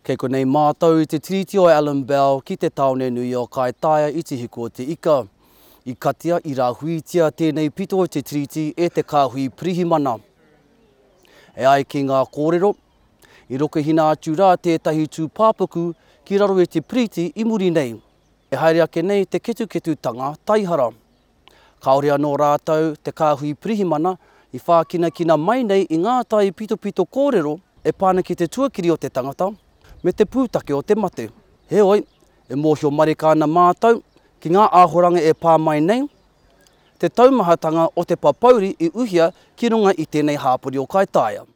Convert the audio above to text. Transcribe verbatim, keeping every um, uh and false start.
Kei konei mātou i te tiriti o Alan Bell ki te tāone nui o Kaitaia i Te Hiku o Te Ika. I katia, i rāhuitia tēnei pito o te tiriti e te kāhui pirihimana. E ai ki ngā kōrero, i rokehina atu rā tētahi tūpāpaku ki raro i te piriti i muri nei. E haere ake nei te ketuketutanga taihara. Kāore anō rātou, te kāhui pirihimana, i whākinakina mai nei i ngā taipitopito kōrero e pā ana ki te tuakiri o te tangata me te pūtake o te mate. Heoi, e mōhio marika ana mātou ki ngā āhoranga e pā mai nei, te taumahatanga o te papauri i uhia ki runga i tēnei hāpori o Kaitaia.